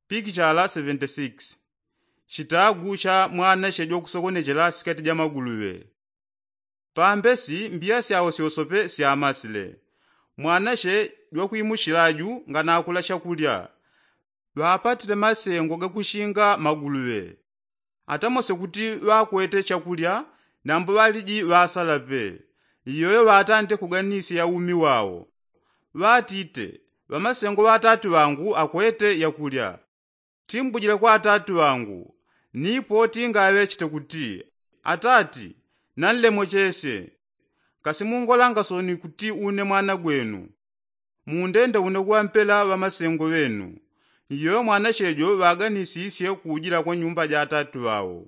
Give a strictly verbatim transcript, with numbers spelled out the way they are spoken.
Pikichala seventy six. Chitagu cha mwanashe jwakusokonechela sikati ja maguluŵe. Pambesi mbiya syawo syosope syamasile. Mwanashe jwakwimushila ju nganakula chakulya. Ŵapatile masengo gakushinga maguluŵe. Atamose kuti ŵakwete chakulya, nambo ŵaliji ŵasala pe. Iyoyo ŵatante kuganisya umi wawo. Ŵatite, ŵamasengo ŵa atati ŵangu akwete yakulya. Timbujile kwa atati ŵangu, nipo tingaŵechete kuti, atati, nanlemochesye. Kasi mungolanga soni kuti une mwana gwenu? Mundende une kuŵampela ŵamasengo ŵenu. Iyoyo mwanashe jo ŵaganisisye kujila kwa nyumba ja atati ŵawo.